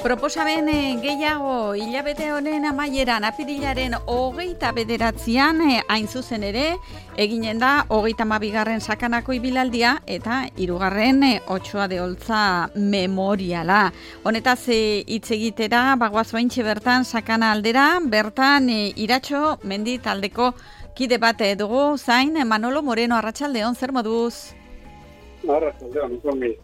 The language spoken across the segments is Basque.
Proposamen gehiago hilabete honen amaieran apirilaren 29an hain zuzen ere eginen da 32. sakanako ibilaldia eta 3. Otsoa de Oltza memoriala. Honetaz hitz egitera bagoaz baintxe bertan sakana aldera, bertan Iratxo mendi taldeko kide bat dugu zain Manolo Moreno. Arratsaldeon, zer moduz? Arratsaldeon, ongi.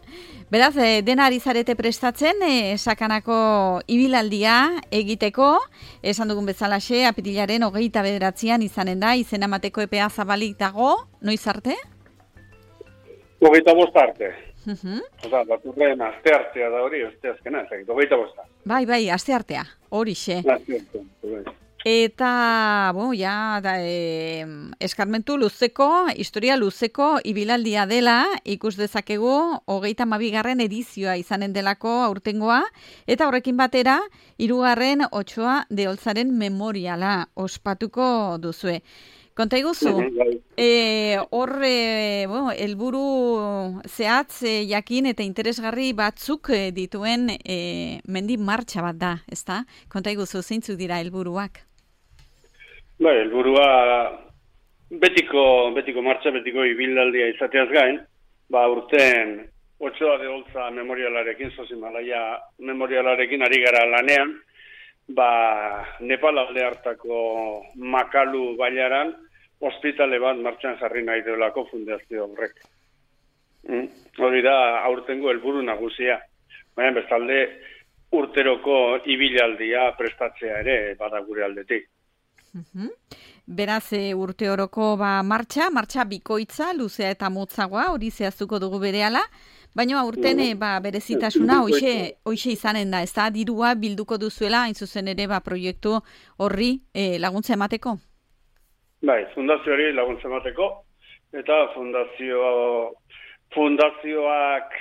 Beraz, dena ari zarete prestatzen, sakanako ibilaldia egiteko, esan dugun bezalaxe, apirilaren 29an izanen da, izena emateko epea zabalik dago, noiz arte? 25 arte. Osa, baturren aste artea da hori, asteazkena, 25. Bai, aste artea, horixe. Eta, eskarmentu luzeko, historia luzeko ibilaldia dela, ikus dezakegu 32. edizioa izanen delako aurtengoa, eta horrekin batera, 3. Otsoa de Oltzaren memoriala ospatuko duzue. Konta iguzu, helburu zehatz jakin eta interesgarri batzuk dituen mendi martxa bat da, ezta? Konta iguzu, zeintzuk dira helburuak? Helburua betiko martxa, betiko ibilaldia izateaz gain, urten Otsoa de Oltza memorialarekin, Sosimalaia memorialarekin ari gara lanean, Nepal alde hartako Makalu bailaran ospitale bat martxan jarri nahi duelako fundazio horrek. Hori da aurtengo helburu nagusia. Baina bestalde urteroko ibilaldia prestatzea ere bada gure aldetik. Beraz, urte oroko martxa bikoitza, luzea eta motzagoa, hori zehaztuko dugu berehala, baina urten berezitasuna hoxe izanen da, ez da, dirua bilduko duzuela, hain zuzen ere proiektu horri laguntza emateko? Fundazioari laguntza emateko, eta fundazioak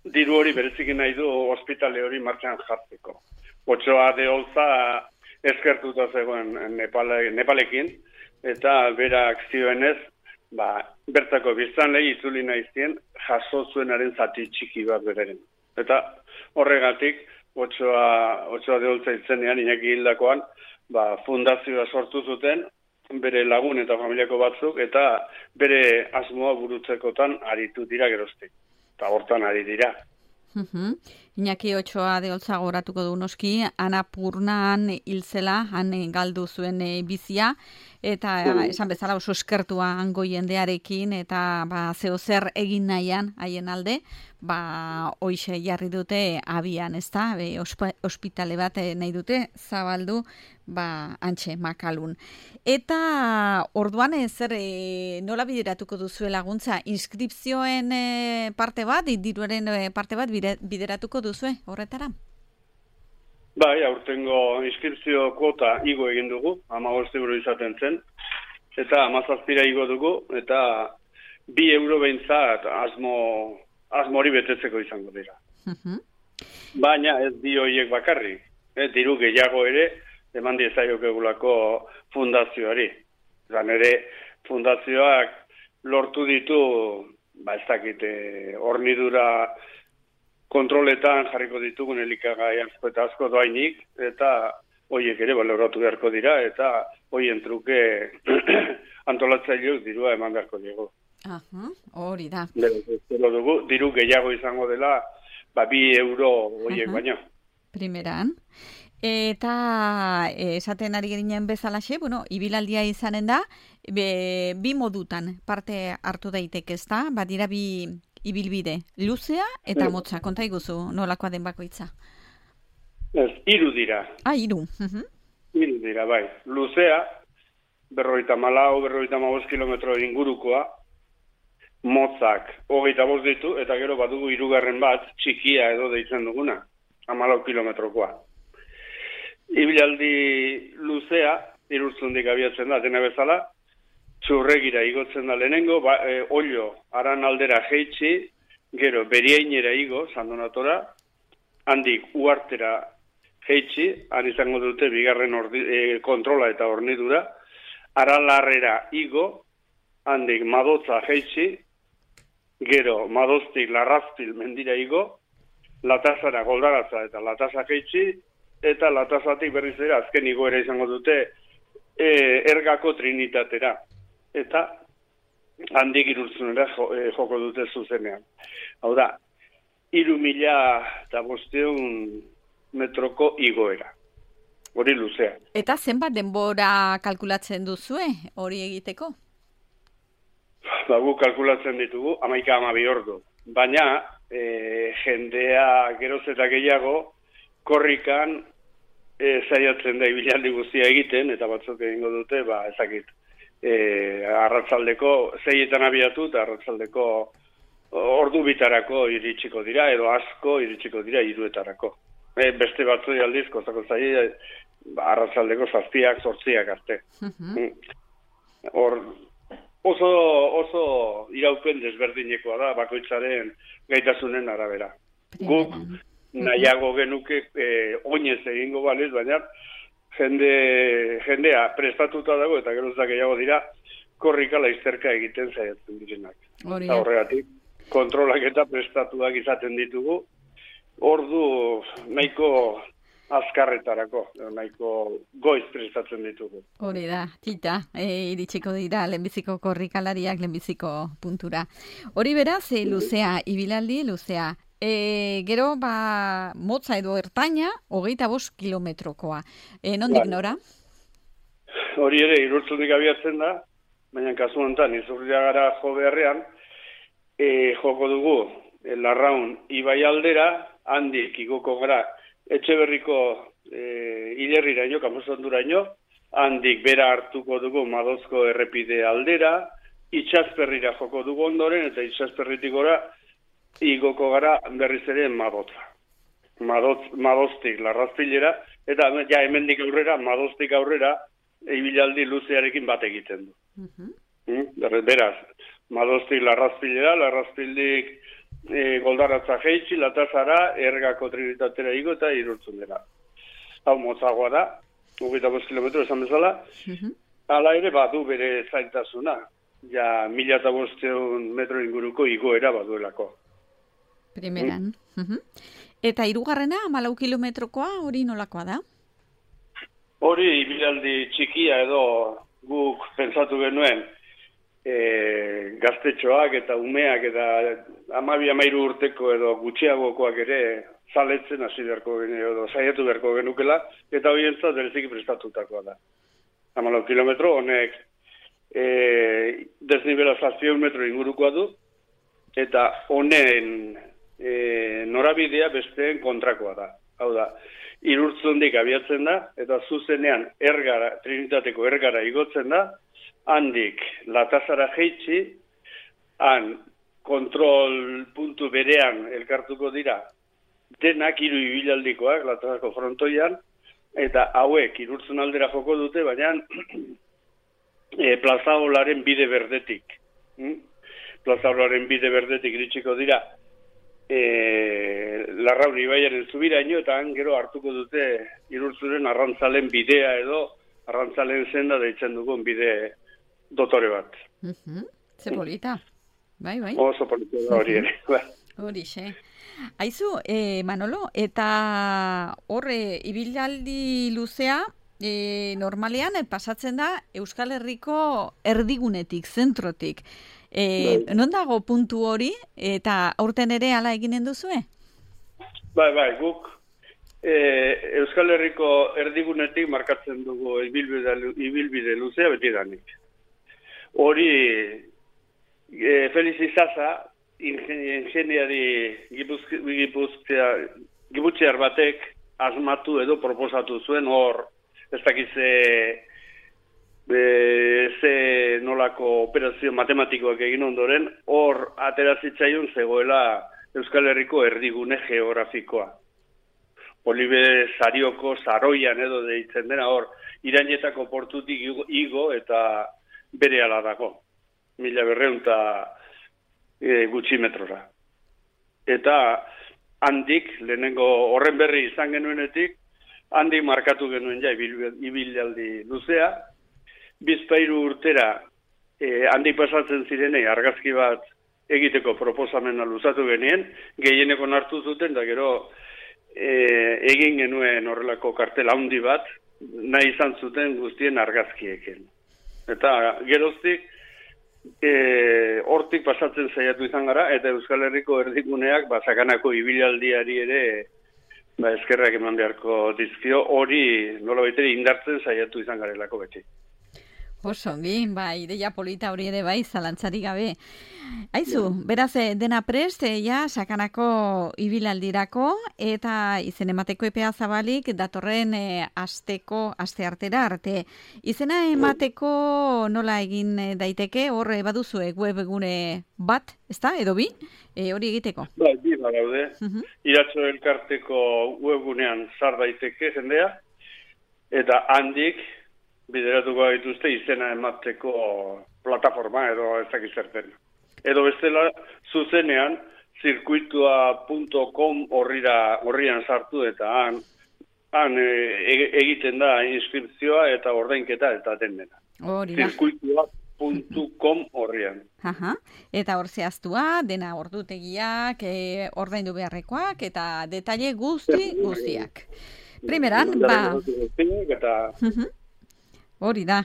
diru hori berezikin nahi du ospitale hori martxan jartzeko. Otsoa de Oltza eskertuta zegoen Nepalekin, eta berak zioenez, bertako biztanlei itzuli nahizien jaso zuenaren zati txiki bat bereren. Eta horregatik, Otsoa de Oltza itzenean, Iñaki hildakoan, fundazioa sortu zuten, bere lagun eta familiako batzuk, eta bere asmoa burutzekotan aritu dira geroztik. Eta hortan ari dira. Iñaki Otsoa de Oltza goratuko du noski, Annapurnan hilzela, han galdu zuen bizia, eta esan bezala oso eskertua hango jendearekin, eta zeo zer egin nahian haien alde, hoixe jarri dute abian, ez da, ospitale bat nahi dute zabaldu, antxe, Makalun. Eta orduan nola bideratuko duzue laguntza? Inskripzioen parte bat, diruaren parte bat bideratuko duzue horretara? Aurtengo inskripzio kuota igo egin dugu, 15 euro izaten zen, eta 17 igo dugu, eta 2 euro behintzat asmo hori betetzeko izango dira. Baina ez bi horiek bakarrik, diru gehiago ere, eman diezaiokegulako fundazioari. Zan ere, fundazioak lortu ditu, ez dakite, hornidura kontroletan jarriko ditugun elikagai asko doainik, eta horiek ere baloratu beharko dira, eta horien truke antolatzaileok dirua eman beharko diego. Hori da. Diru gehiago izango dela, 2 euro horiek baino. Primeran. Eta esaten ari ginen bezalaxe, ibilaldia izanen da, bi modutan parte hartu daiteke, ez da? Badira bi ibilbide, luzea eta motza, konta iguzu nolakoa den bakoitza? Ez, 3 dira. 3. 3 dira, bai. Luzea, 54-55 kilometro ingurukoa, motzak 25 ditu, eta gero badugu 3. bat, txikia edo deitzen duguna, 14 kilometrokoa. Ibilaldi luzea, Irurtzundik abiatzen da, dena bezala, Txurregira igotzen da lehenengo, Ollo, Aran aldera jeitsi, gero Beriainera igo, Sandonatora, handik Uartera jeitsi, han izango dute bigarren kontrola eta hornidura, Aralarrera igo, handik Madotza jeitsi, gero Madoztik Larrazpil mendira igo, Latazara goldaratza eta latazak eitzi, eta latazatik berriz ere azken igoera izango dute Ergako Trinitatera. Eta handik Irurtzunera joko dute zuzenean. Hau da, 3.500 metroko igoera. Hori luzea. Eta zenbat denbora kalkulatzen duzue hori egiteko? Guk kalkulatzen ditugu 11-12 ordu. Baina jendea geroz eta gehiago korrikan saiatzen da ibilaldi guztia egiten, eta batzuk egingo dute, ezakit, arratzaldeko 6etan abiatu eta arratzaldeko ordu bitarako iritsiko dira, edo asko iritsiko dira 3etarako. Beste batzui aldiz, kozako zai, arratzaldeko 7-ak, 8-ak arte. Hor, oso iraupen desberdinekoa da, bakoitzaren gaitasunen arabera. Guk nahiago genuke oinez egingo baliz, baina jendea prestatuta dago eta gerozak gehiago dira korrika laizterka egiten saiatzen direnak. Horregatik, kontrolak eta prestatuak izaten ditugu, ordu nahiko azkarretarako, nahiko goiz prestatzen ditugu. Hori da, tita, iritsiko dira lehenbiziko korrikalariak lehenbiziko puntura. Hori beraz, luzea, ibilaldi luzea. Gero, motza edo ertaina, 25 kilometrokoa. Nondik nora? Hori ere, Irurtzunik abiatzen da, baina kasu honetan, Izurriagara jo beharrean, joko dugu Larraun ibai aldera, handik igoko gara Etxeberriko Ilerriraino, Kamosonduraino, handik bera hartuko dugu Madozko errepide aldera, Itxasperrira joko dugu ondoren, eta Itxasperritik gora igoko gara berriz ere Madotza. Madoztik Larrazpilera, eta ja hemendik aurrera, Madoztik aurrera, ibilaldi luzearekin bat egiten du. Beraz, Madoztik Larrazpilera, Larrazpildik goldaratza jeitzi, latazara, Ergako Trinitatera igo eta Irurtzunera. Hau motzagoa da, 25 kilometro esan bezala, hala ere badu bere zaintasuna, ja 1.500 metro inguruko igoera baduelako. Primeran. Eta hirugarrena, 14 kilometrokoa, hori nolakoa da? Hori ibilaldi txikia edo guk pentsatu genuen, gaztetxoak eta umeak eta 12-13 urteko edo gutxiagokoak ere zaletzen hasi beharko edo saiatu beharko genukela, eta horientzat bereziki prestatutakoa da. 14 kilometro honek desnibela 700 metro ingurukoa du, eta honen norabidea besteen kontrakoa da. Hau da, Irurtzundik abiatzen da, eta zuzenean Trinitateko Ergara igotzen da, handik latazara jeitzi, han kontrol puntu berean elkartuko dira denak 3 ibilaldikoak latazako frontoian, eta hauek Irurtzun aldera joko dute, baina Plazaolaren bide berdetik. Plazaolaren bide berdetik iritsiko dira Larraun ibaiaren zubiraino, eta han gero hartuko dute Irurtzuren arrantzalen bidea edo arrantzalen senda deitzen dugun bide dotore bat. Ze polita. Bai. Oso polita da hori ere. Horixe. Aizu, Manolo, eta horre ibilaldi luzea normalean pasatzen da Euskal Herriko erdigunetik, zentrotik. Non dago puntu hori, eta aurten ere hala eginen duzue? Bai, guk Euskal Herriko erdigunetik markatzen dugu ibilbide luzea betidanik. Hori Felix Izaza, ingeniari gipuzkoar batek asmatu edo proposatu zuen, hor ez dakitze ze nolako operazio matematikoak egin ondoren, hor aterazitzaion zegoela Euskal Herriko erdigune geografikoa. Olibe Zarioko Zaroian edo deitzen dena, hor Irainetako portutik igo eta bere ala dago. 1200 gutxi metrora. Eta handik, lehenengo horren berri izan genuenetik, handik markatu genuen ja ibilaldi luzea, bizpairu urtera handik pasatzen zirenei argazki bat egiteko proposamena luzatu genien, gehieneko hartu zuten, da gero egin genuen horrelako kartel handi bat, nahi izan zuten guztien argazkiekin. Eta geroztik, hortik pasatzen saiatu izan gara, eta Euskal Herriko erdiguneak sakanako ibilaldiari ere eskerrak eman beharko dizkio, hori nola baitere indartzen saiatu izan garelako beti. Osongi, ideia polita hori ere zalantzarik gabe. Aizu, beraz, dena prest, sakanako ibilaldirako, eta izen emateko epea zabalik datorren asteartera arte. Izena emateko nola egin daiteke, hor baduzue webgune bat, ezta, edo bi, hori egiteko? Bi badaude. Iratxo elkarteko webgunean sar daiteke jendea, eta handik bideratuko dituzte izena emateko plataforma edo ezakizerten. Edo bestela zuzenean zirkuitua.com horrian sartu eta han egiten da inskripzioa eta ordainketa eta dena. Zirkuitua.com horrian. Eta hor zehaztua, dena ordutegiak, ordaindu beharrekoak eta detaile guztiak. Primeran, hori da.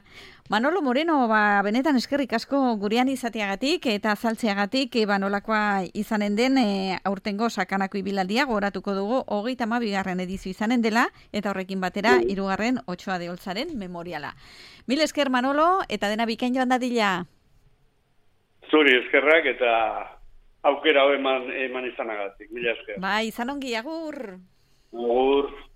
Manolo Moreno, benetan eskerrik asko gurean izateagatik eta azaltzeagatik nolakoa izanen den aurtengo sakanako ibilaldia gogoratuko dugu 32. edizio izanen dela eta horrekin batera 3. Otxoa de Oltzaren memoriala. Mil esker Manolo eta dena bikain joan dadila. Zuri eskerrak eta aukera eman izanagatik. Mila esker. Izan ongi, agur. Agur.